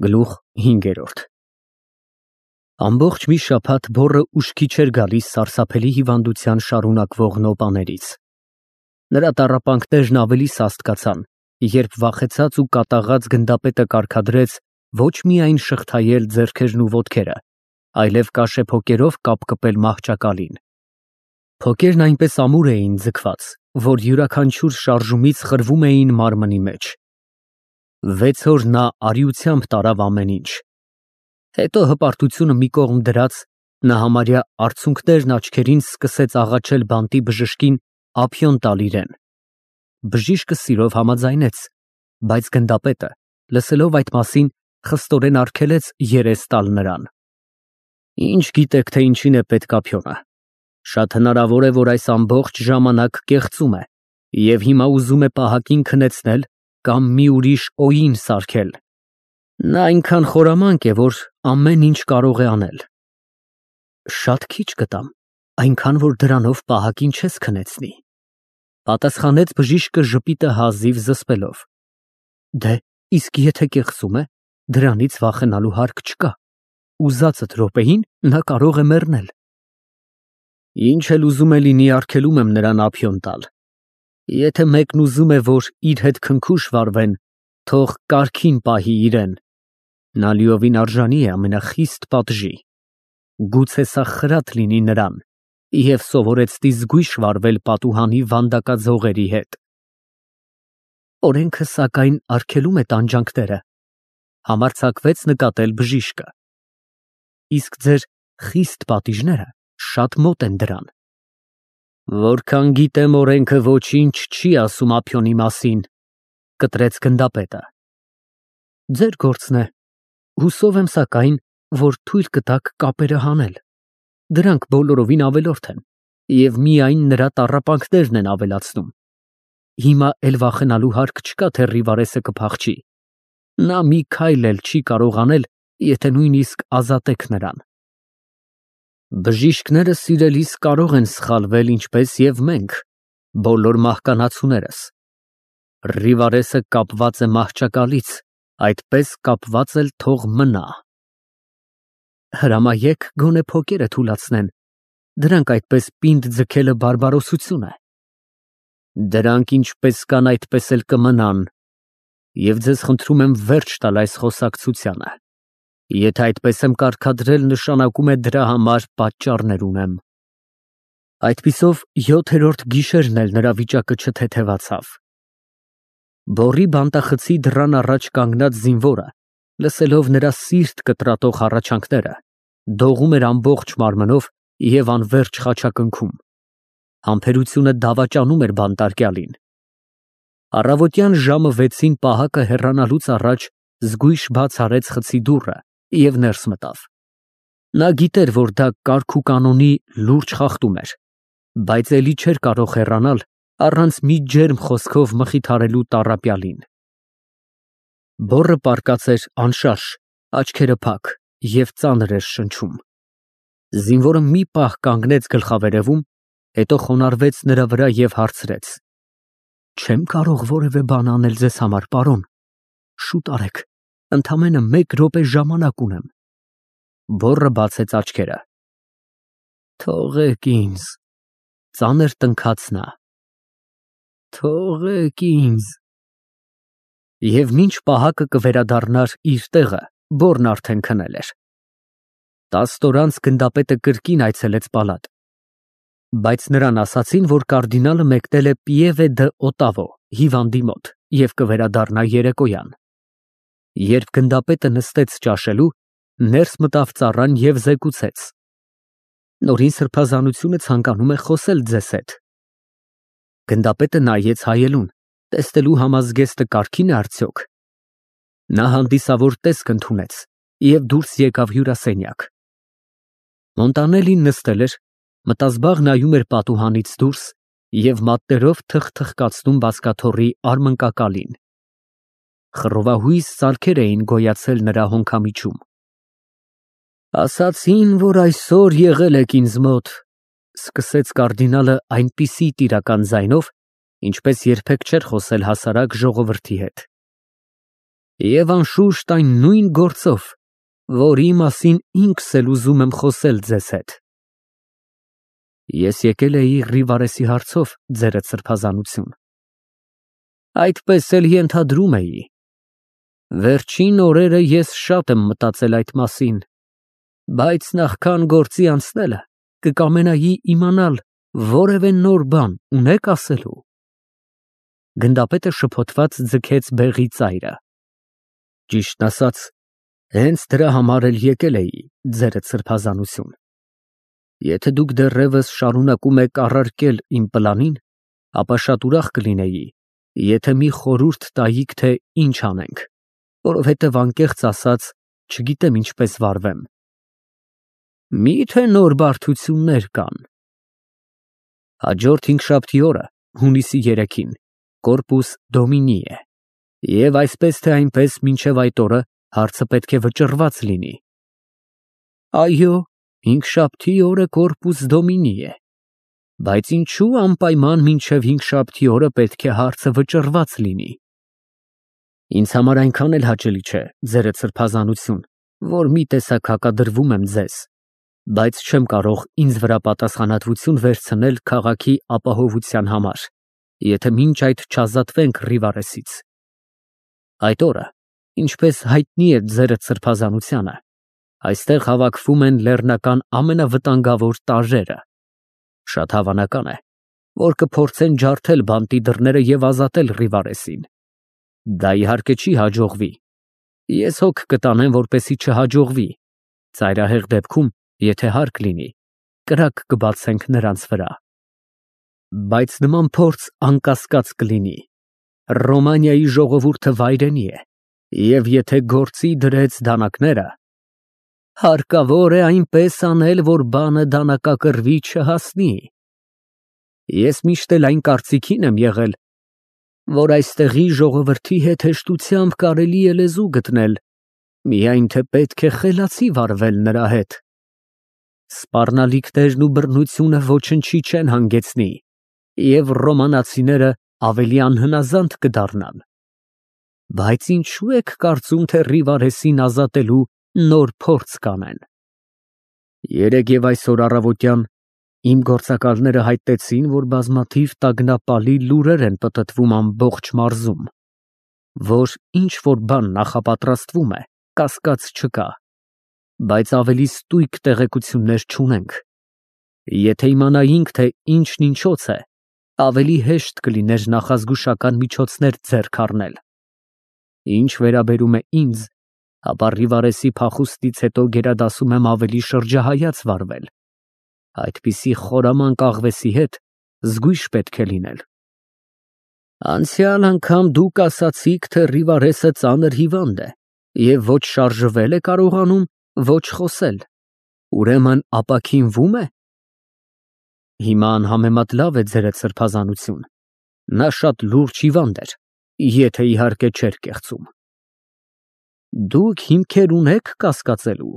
Գլուխ 5 Ամբողջ մի շաբաթ բոռը ուշքի չէր գալիս սարսափելի հիվանդության շարունակվող նոպաներից։ Նրա տառապանքներն ավելի սաստկացան, երբ վախեցած ու կատաղած գնդապետը կարգադրեց ոչ միայն շղթայել ձեռքերն ու ոտքերը, այլև կաշեփոկերով կապկպել մահճակալին։ Փոկերն այնպես ամուր էին ձգված, որ յուրաքանչյուր շարժումից խրվում էին մարմնի մեջ։ 6 օր նա արիությամբ տարավ ամեն ինչ։ Հետո հպարտությունը մի կողմ դրած, նա համարյա արցունքներն աչքերին սկսեց աղաչել բանտի բժշկին ափիոն տալ իրեն։ Բժիշկը սիրով համաձայնեց, բայց գնդապետը, լսելով այդ մասին, խստորեն արգելեց երես տալ նրան։ Ինչ գիտեք, թե ինչին է պետք ափիոնը։ Շատ հնարավոր է, որ այս ամբողջ ժամանակ կեղծում է և հիմա ուզում է պահակին քնեցնել կամ մի ուրիշ օին սարքել։ Նա այնքան խորամանկ է, որ ամեն ինչ կարող է անել։ Շատ քիչ կտամ, այնքան, որ դրանով պահակին չես քնեցնի, պատասխանեց բժիշկը ժպիտը հազիվ զսպելով։ Դե, իսկ եթե կեղծում է, դրանից վախենալու հարկ չկա։ Ուզածդ րոպեին նա կարող է մեռնել։ Ինչ էլ ուզում է լինի, արգելում եմ նրան ափիոն տալ։ Եթե մեկն ուզում է, որ իր հետ քնքուշ վարվեն, թող կարգին պահի իրեն։ Նա լիովին արժանի է ամենախիստ պատժի։ Գուցե սա խրատ լինի նրան և սովորեցնի զգույշ վարվել պատուհանի վանդակաձողերի հետ։ Օրենքը, սակայն, արգելում է տանջանքները, համարձակվեց նկատել բժիշկը։ Իսկ ձեր խիստ պատիժները շատ մոտ են դրան։ Որքան գիտեմ, օրենքը ոչինչ չի ասում ափիոնի մասին, կտրեց գնդապետը։ Ձեր գործն է։ Հուսով եմ, սակայն, որ թույլ կտաք կապերը հանել։ Դրանք բոլորովին ավելորդ են և միայն նրա տառապանքներն են ավելացնում։ Հիմա էլ վախենալու հարկ չկա, թե Ռիվարեսը կփախչի։ Նա մի քայլ էլ չի կարող անել, եթե նույնիսկ ազատեք նրան։ Բժիշկները, սիրելիս, կարող են սխալվել, ինչպես և մենք, բոլոր մահկանացուներս։ Ռիվարեսը կապված է մահճակալից, այդպես կապված էլ թող մնա։ Հրամայեք գոնե փոկերը թուլացնեն, դրանք այդպես պինդ ձգելը բարբարոսություն է։ Դրանք ինչպես կան, այդպես էլ կմնան, և ձեզ խնդրում եմ վերջ տալ այս խոսակցությանը։ Եթե այդպես եմ կարգադրել, նշանակում է դրա համար պատճառներ ունեմ։ Այդպիսով 7-րդ գիշերն էլ նրա վիճակը չթեթևացավ։ Բոռի բանտախցի դռան առաջ կանգնած զինվորը, լսելով նրա սիրտ կտրատող հառաչանքները, դողում էր ամբողջ մարմնով և անվերջ խաչակնքում։ Համբերությունը դավաճանում էր բանտարկյալին։ Առավոտյան ժամը 6-ին պահակը հեռանալուց առաջ զգույշ բաց արեց խցի դուռը և ներս մտավ։ Նա գիտեր, որ դա կարգ ու կանոնի լուրջ խախտում էր, բայց էլի չէր կարող հեռանալ առանց մի ջերմ խոսքով մխիթարելու տառապյալին։ Բոռը պառկած էր անշարժ, աչքերը փակ և ծանր էր շնչում։ Զինվորը մի պահ կանգնեց գլխավերևում, հետո խոնարհվեց նրա վրա և հարցրեց. Չեմ կարող որևէ բան անել ձեզ համար, պարոն։ Շուտ արեք, ընդամենը 1 րոպե ժամանակ ունեմ։ Բոռը բացեց աչքերը։ Թողեք ինձ, ծանր տնքաց նա։ Թողեք ինձ։ Եվ մինչ պահակը կվերադառնար իր տեղը, բոռն արդեն քնել էր։ 10 օր անց գնդապետը կրկին այցելեց պալատ։ Բայց նրան ասացին, որ կարդինալը մեկնել է Պիևե դը Օտավո հիվանդի մոտ և կվերադառնա երեկոյան։ Երբ գնդապետը նստեց ճաշելու, ներս մտավ ծառան և զեկուցեց. Նորին սրբազանությունը ցանկանում է խոսել ձեզ հետ։ Գնդապետը նայեց հայելուն, տեսնելու համազգեստը կարգին է արդյոք։ Նա հանդիսավոր տեսք ընդունեց և դուրս եկավ հյուրասենյակ։ Մոնտանելին նստել էր, մտազբաղ նայում էր պատուհանից դուրս և մատներով թխթխկացնում բազկաթոռի արմնկակալին։ Խռովահույս սարքեր էին գոյացել նրա հոնքամիջում։ Ասացին, որ այսօր եղել եք ինձ մոտ, սկսեց կարդինալը այնպիսի տիրական ձայնով, ինչպես երբեք չէր խոսել հասարակ ժողովրդի հետ։ Եվ անշուշտ այն նույն գործով, որի մասին ինքս էլ ուզում եմ խոսել ձեզ հետ։ Ես եկել էի Ռիվարեսի հարցով, ձերդ սրբազանություն։ Այդպես էլ ենթադրում էի։ Վերջին օրերը ես շատ եմ մտածել այդ մասին, բայց նախքան գործի անցնելը կկամենայի իմանալ որևէ նոր բան ունեք ասելու։ Գնդապետը շփոթված ձգեց բեղի ծայրը։ Ճիշտն ասած, հենց դրա համար էլ եկել էի, ձերդ սրբազանություն։ Եթե դուք դեռևս շարունակում եք առարկել իմ պլանին, ապա շատ ուրախ կլինեի, եթե մի խորհուրդ տայիք, թե ինչ անենք, որովհետև անկեղծ ասած, չգիտեմ ինչպես վարվեմ։ Մի՞թե նոր բարդություններ կան։ Հաջորդ հինգշաբթի օրը, հունիսի 3-ին, Կորպուս Դոմինի է, և այսպես թե այնպես մինչև այդ օրը հարցը պետք է վճռված լինի։ Այո, հինգշաբթի օրը Կորպուս Դոմինի է, բայց ինչու անպայման մինչև հինգշաբթի օրը պետք է հարցը վճռված լինի։ Ինձ համար այնքան էլ հաճելի չէ, ձերդ սրբազանություն, որ մի տեսակ հակադրվում եմ ձեզ, բայց չեմ կարող ինձ վրա պատասխանատվություն վերցնել քաղաքի ապահովության համար, եթե մինչ այդ չազատվենք Ռիվարեսից։ Այդ օրը, ինչպես հայտնի է ձերդ սրբազանությանը, այստեղ հավաքվում են լեռնական ամենավտանգավոր տարրերը։ Շատ հավանական է, որ կփորձեն ջարդել բանտի դռները և ազատել Ռիվարեսին։ Դա իհարկե չի հաջողվի։ Ես հոգ կտանեմ, որպեսզի չհաջողվի։ Ծայրահեղ դեպքում, եթե հարկ լինի, կրակ կբացենք նրանց վրա։ Բայց նման փորձ անկասկած կլինի։ Ռոմանիայի ժողովուրդը վայրենի է, և եթե գործի դրեց դանակները, հարկավոր է այնպես անել, որ բանը դանակակռվի չհասնի։ Ես միշտ էլ այն կարծիքին եմ եղել, որ այստեղի ժողովրդի հետ հեշտությամբ կարելի է լեզու գտնել, միայն թե պետք է խելացի վարվել նրա հետ։ Սպառնալիքներն ու բռնությունը ոչնչի չեն հանգեցնի, և ռոմանացիները ավելի անհնազանդ կդառնան։ Բայց ինչու եք կարծում, թե Ռիվարեսին ազատելու նոր փորձ կանեն։ Երեկ և այսօր առավոտյան իմ գործակալները հայտնեցին, որ բազմաթիվ տագնապալի լուրեր են պտտվում ամբողջ մարզում, որ ինչ-որ բան նախապատրաստվում է, կասկած չկա, բայց ավելի ստույգ տեղեկություններ չունենք։ Եթե իմանայինք, թե ինչն ինչոց է, ավելի հեշտ կլիներ նախազգուշական միջոցներ ձեռք առնել։ Ինչ վերաբերում է ինձ, ապա Ռիվարեսի փախուստից հետո գերադասում եմ ավելի շրջահայաց վարվել։ Այդպիսի խորամանկ աղվեսի հետ զգույշ պետք է լինել։ Անցյալ անգամ դուք ասացիք, թե Ռիվարեսը ծանր հիվանդ է և ոչ շարժվել է կարողանում, ոչ խոսել։ Ուրեմն ապաքինվո՞ւմ է։ Հիմա անհամեմատ լավ է ձերդ սրբազանություն։ Նա շատ լուրջ հիվանդ էր, եթե իհարկե չէր կեղծում։ Դուք հիմքեր ունեք կասկածելու։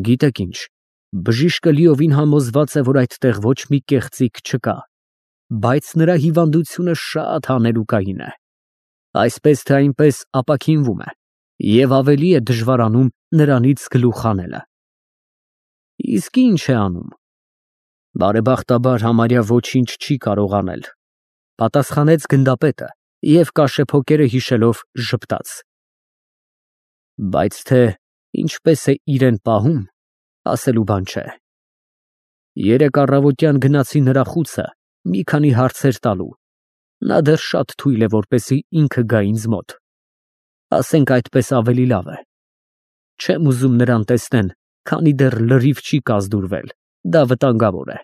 Գիտեք ինչ, բժիշկը լիովին համոզված է, որ այդտեղ ոչ մի կեղծիք չկա, բայց նրա հիվանդությունը շատ հանելուկային է։ Այսպես թե այնպես ապաքինվում է, և ավելի է դժվարանում նրանից գլուխ հանելը։ Իսկ ինչ է անում։ Բարեբախտաբար համարյա ոչինչ չի կարող անել, պատասխանեց գնդապետը և կաշեփոկերը հիշելով ժպտաց։ Բայց թե ինչպես է իրեն պահում, ասելու բան չէ։ Երեկ առավոտյան գնացի նրա խուցը մի քանի հարցեր տալու։ Նա դեռ շատ թույլ է, որպեսզի ինքը գա ինձ մոտ։ Ասենք այդպես ավելի լավ է։ Չեմ ուզում նրան տեսնեն, քանի դեռ լրիվ չի կազդուրվել, դա վտանգավոր է։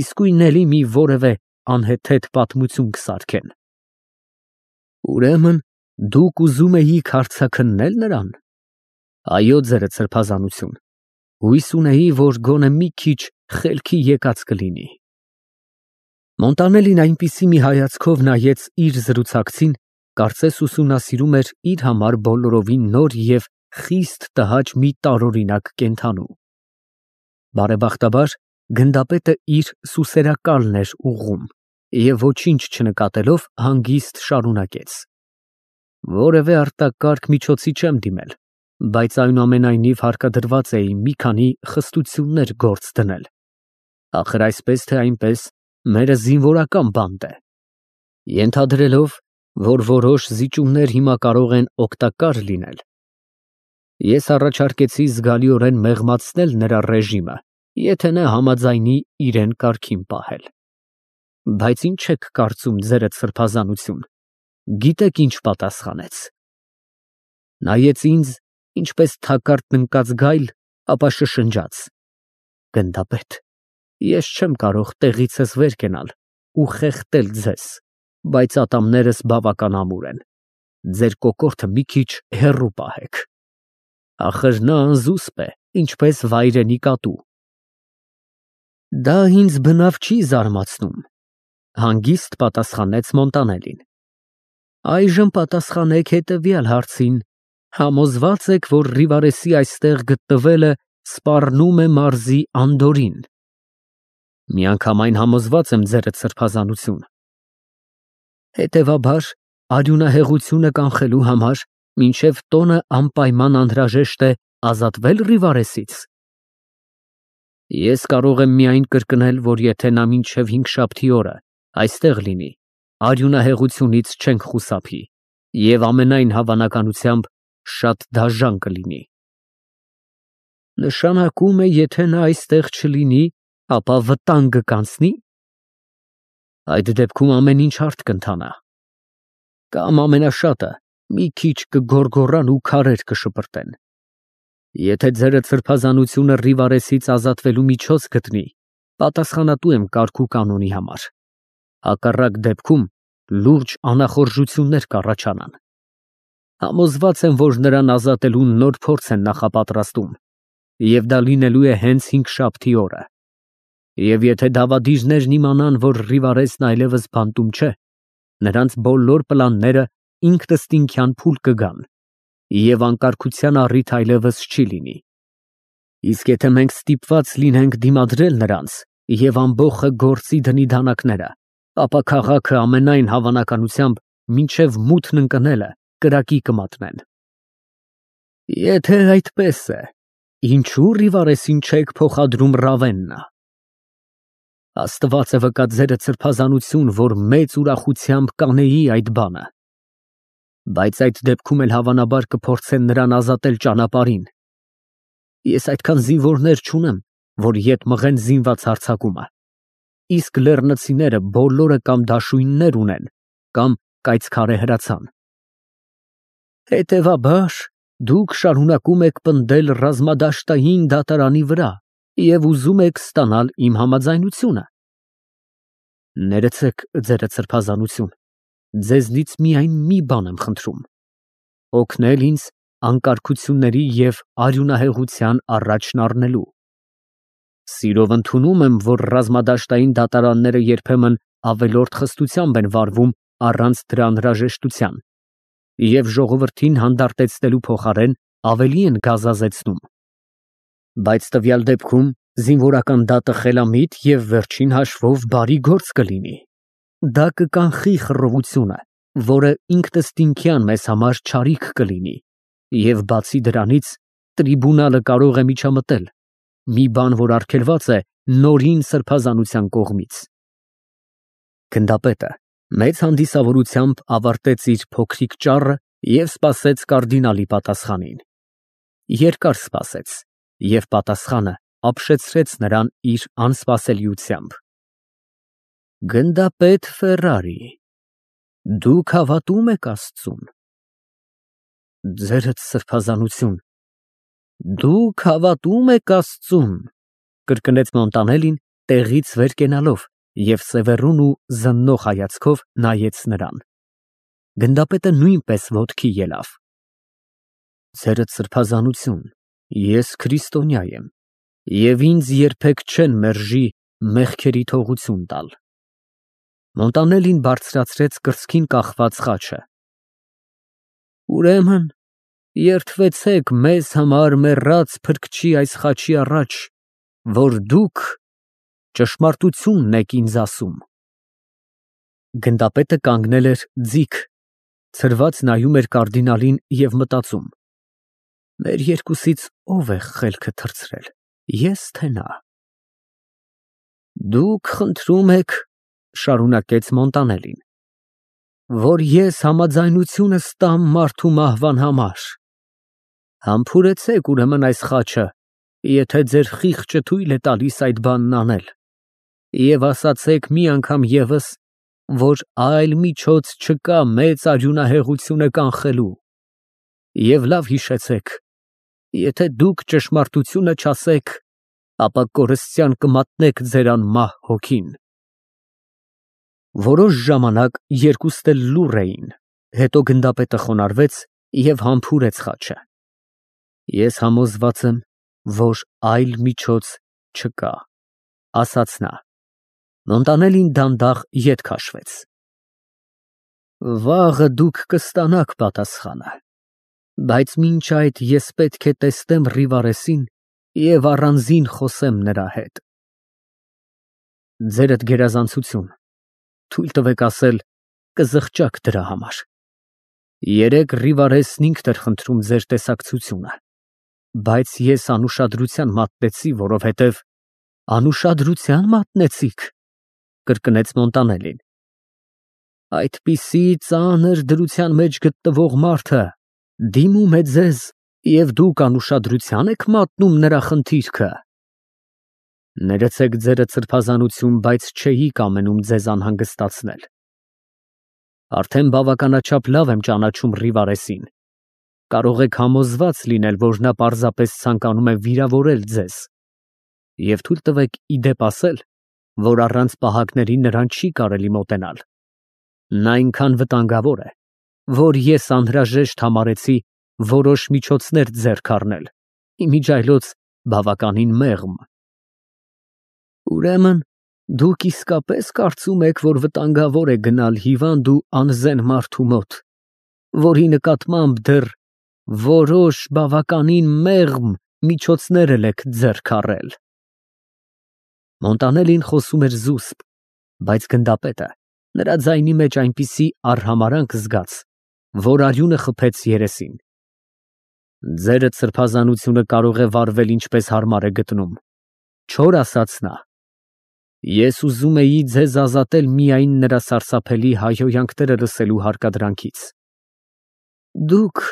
Իսկույն էլի մի որևէ անհեթեթ պատմություն կսարքեն։ Ուրեմն դուք ուզում էիք հարցաքննել նրան։ Այո, ձերդ սրբազանություն։ Հույս ունեի, որ գոնե մի քիչ խելքի եկած կլինի։ Մոնտանելին այնպիսի մի հայացքով նայեց իր զրուցակցին, կարծես ուսումնասիրում էր իր համար բոլորովին նոր և խիստ տհաճ մի տարօրինակ կենդանու։ Բարեբախտաբար գնդապետը իր սուսերակալն էր ուղղում և ոչինչ չնկատելով հանգիստ շարունակեց։ Որևէ արտակարգ միջոցի չեմ դիմել, բայց այնուամենայնիվ հարկադրված էի մի քանի խստություններ գործ դնել։ Ախր այսպես թե այնպես մերը զինվորական բանտ է։ Ենթադրելով, որ որոշ զիջումներ հիմա կարող են օգտակար լինել, ես առաջարկեցի զգալիորեն մեղմացնել նրա ռեժիմը, եթե նա համաձայնի իրեն կարգին պահել։ Բայց ինչ եք կարծում ձերդ սրբազանություն, գիտեք ինչ պատասխանեց։ Նայեց ինձ, ինչպես թակարդ ընկած գայլ, ապա շշնջաց. «Գնդապետ, ես չեմ կարող տեղիցս վեր կենալ ու խեղդել ձեզ, բայց ատամներս բավական ամուր են, ձեր կոկորդը մի քիչ հեռու պահեք»։ Ախր նա անզուսպ է, ինչպես վայրենի կատու։ Դա ինձ բնավ չի զարմացնում, հանգիստ պատասխանեց Մոնտանելին։ Այժմ պատասխանեք հետևյալ հարցին. համոզված եք, որ Ռիվարեսի այստեղ գտնվելը սպառնում է մարզի անդորրին։ Միանգամայն համոզված եմ ձերդ սրբազանություն։ Հետևաբար, արյունահեղությունը կանխելու համար մինչև տոնը անպայման անհրաժեշտ է ազատվել Ռիվարեսից։ Ես կարող եմ միայն կրկնել, որ եթե նա մինչև հինգշաբթի օրը այստեղ լինի, արյունահեղությունից չենք խուսափի և ամենայն հավանականությամբ շատ դաժան կլինի։ Նշանակում է, եթե նա այստեղ չլինի, ապա վտանգը կանցնի։ Այդ դեպքում ամեն ինչ հարթ կընթանա։ Կամ ամենաշատը մի քիչ կգոռգոռան ու քարեր կշպրտեն։ Եթե ձերդ սրբազանությունը Ռիվարեսից ազատվելու միջոց գտնի, պատասխանատու եմ կարգ ու կանոնի համար։ Հակառակ դեպքում լուրջ անախորժություններ կառաջանան։ Համոզված եմ, որ նրան ազատելու նոր փորձ են նախապատրաստում, և դա լինելու է հենց հինգշաբթի օրը։ Եվ եթե դավադիրներն իմանան, որ Ռիվարեսն այլևս բանտում չէ, նրանց բոլոր պլանները ինքնըստինքյան փուլ կգան, և անկարգության առիթ այլևս չի լինի։ Իսկ եթե մենք ստիպված լինենք դիմադրել նրանց և ամբոխը գործի դնի դանակները, ապա քաղաքը ամենայն հավանականությամբ մինչև մութն ընկնելը կրակի կմատնեն։ Եթե այդպես է, ինչու Ռիվարեսին չեք փոխադրում Ռավեննա։ Աստված է վկա ձերդ սրբազանություն, որ մեծ ուրախությամբ կանեի այդ բանը։ Բայց այդ դեպքում էլ հավանաբար կփորձեն նրան ազատել ճանապարհին։ Ես այդքան զինվորներ չունեմ, որ ետ մղեն զինված հարձակումը։ Իսկ լեռնցիները բոլորը կամ դաշույններ ունեն, կամ կայծքարե հրացան։ Հետևաբար, դուք շարունակում եք պնդել ռազմադաշտային դատարանի վրա և ուզում եք ստանալ իմ համաձայնությունը։ Ներեցեք, ձերդ սրբազանություն, ձեզնից միայն մի բան եմ խնդրում. օգնել ինձ անկարգությունների և արյունահեղության առաջն առնելու։ Սիրով ընդունում եմ, որ ռազմադաշտային դատարանները երբեմն ավելորդ խստությամբ են վարվում առանց դրա անհրաժեշտության, և ժողովրդին հանդարտեցնելու փոխարեն ավելի են գազազեցնում։ Բայց տվյալ դեպքում զինվորական դատը խելամիտ և վերջին հաշվով բարի գործ կլինի։ Դա կկանխի խռովությունը, որը ինքնըստինքյան մեզ համար չարիք կլինի, և բացի դրանից տրիբունալը կարող է միջամտել, մի բան, որ արգելված է նորին սրբազանության կողմից։ Գնդապետը մեծ հանդիսավորությամբ ավարտեց իր փոքրիկ ճառը և սպասեց կարդինալի պատասխանին։ Երկար սպասեց, և պատասխանը ապշեցրեց նրան իր անսպասելիությամբ։ Գնդապետ Ֆերրարի, դուք հավատում եք Աստծուն։ Ձերդ սրբազանություն, դուք հավատում եք Աստծուն, կրկնեց Մոնտանելին, տեղից վեր կենալով և սևեռուն ու զննող հայացքով նայեց նրան։ Գնդապետը նույնպես ոտքի ելավ։ Ձերդ սրբազանություն, ես քրիստոնյա եմ, և ինձ երբեք չեն մերժի մեղքերի թողություն տալ։ Մոնտանելին բարձրացրեց կրծքին կախված խաչը։ Ուրեմն երդվեցեք մեզ համար մեռած Փրկչի այս խաչի առաջ, որ դուք ճշմարտությունն եք ինձ ասում։ Գնդապետը կանգնել էր ձիգ, ցրված նայում էր կարդինալին և մտածում. մեր երկուսից ով է խելքը թռցրել, ես թե նա։ Դուք խնդրում եք, շարունակեց Մոնտանելին, որ ես համաձայնությունս տամ մարդու մահվան համար։ Համբուրեցեք ուրեմն այս խաչը, եթե ձեր խիղճը թույլ է տալիս այդ բանն անել, և ասացեք մի անգամ ևս, որ այլ միջոց չկա մեծ արյունահեղությունը կանխելու, և լավ հիշեցեք, եթե դուք ճշմարտությունը չասեք, ապա կորստյան կմատնեք ձեր անմահ հոգին։ Որոշ ժամանակ երկուսն էլ լուռ էին, հետո գնդապետը խոնարհվեց և համբուրեց խաչը։ Ես համոզված եմ, որ այլ միջոց չկա, ասաց նա։ Մոնտանելին դանդաղ ետ քաշվեց։ Վաղը դուք կստանաք պատասխանը, բայց մինչ այդ ես պետք է տեսնեմ Ռիվարեսին և առանձին խոսեմ նրա հետ։ Ձերդ գերազանցություն, թույլ տվեք ասել, կզղջաք դրա համար։ Երեկ Ռիվարեսն ինքն էր խնդրում ձեր տեսակցությունը, բայց ես անուշադրության մատնեցի, որովհետև… Անուշադրության մատնեցիք, կրկնեց Մոնտանելին։ Այդպիսի ծանր դրության մեջ գտնվող մարդը դիմում է ձեզ, և դուք անուշադրության եք մատնում նրա խնդիրքը։ Ներեցեք ձերդ սրբազանություն, բայց չէի կամենում ձեզ անհանգստացնել։ Արդեն բավականաչափ լավ եմ ճանաչում Ռիվարեսին։ Կարող եք համոզված լինել, որ նա պարզապես ցանկանում է վիրավորել ձեզ։ Եվ թույլ տվեք ի դեպ ասել, որ առանց պահակների նրան չի կարելի մոտենալ։ Նա այնքան վտանգավոր է, որ ես անհրաժեշտ համարեցի որոշ միջոցներ ձեռք առնել, իմիջիայլոց բավականին մեղմ։ Ուրեմն, դուք իսկապես կարծում եք, որ վտանգավոր է գնալ հիվանդ ու անզեն մարդու մոտ, որի նկատմամբ դեռ որոշ բավականին մեղմ միջոցներ եք ձեռք առել։ Մոնտանելին խոսում էր զուսպ, բայց գնդապետը նրա ձայնի մեջ այնպիսի արհամարհանք զգաց, որ արյունը խփեց երեսին։ Ձերդ սրբազանությունը կարող է վարվել ինչպես հարմար է գտնում, չոր ասաց նա։ Ես ուզում էի ձեզ ազատել միայն նրա սարսափելի հայհոյանքները լսելու հարկադրանքից։ Դուք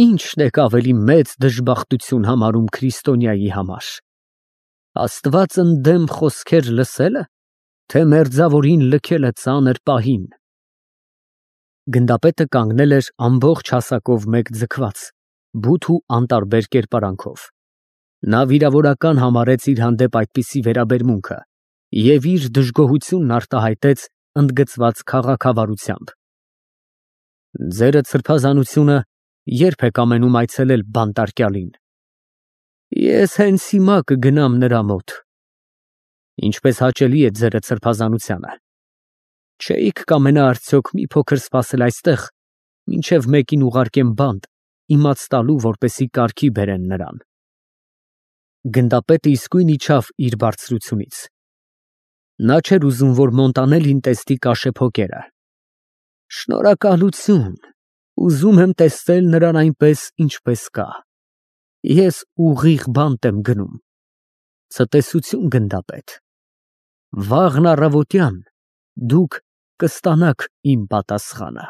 ի՞նչն եք ավելի մեծ դժբախտություն համարում քրիստոնյայի համար, Աստված ընդդեմ խոսքեր լսելը, թե մերձավորին լքելը ծանր պահին։ Գնդապետը կանգնել էր ամբողջ հասակով մեկ ձգված, բութ ու անտարբեր կերպարանքով։ Նա վիրավորական համարեց իր հանդեպ այդպիսի վերաբերմունքը և իր դժգոհությունն արտահայտեց ընդգծված քաղաքավարությամբ։ Ձերդ սրբազանությունը ե՞րբ եք ամենում այցելել բանտարկյալին։ Ես հենց հիմա կգնամ նրա մոտ։ Ինչպես հաճելի է ձերդ սրբազանությանը։ Չէիք կամենա արդյոք մի փոքր սպասել այստեղ, մինչև մեկին ուղարկեմ բանտ, իմաց տալու, որպեսզի կարգի բերեն նրան։ Գնդապետը իսկույն իջավ իր բարձրությունից։ Նա չէր ուզում, որ Մոնտանելին տեսնի կաշեփոկերը։ Շնորհակալություն, ուզում եմ տեսնել նրան այնպես, ինչպես կա։ Ես ուղիղ բանտ եմ գնում։ Ցտեսություն, գնդապետ։ Վաղն առավոտյան դուք կստանաք իմ պատասխանը։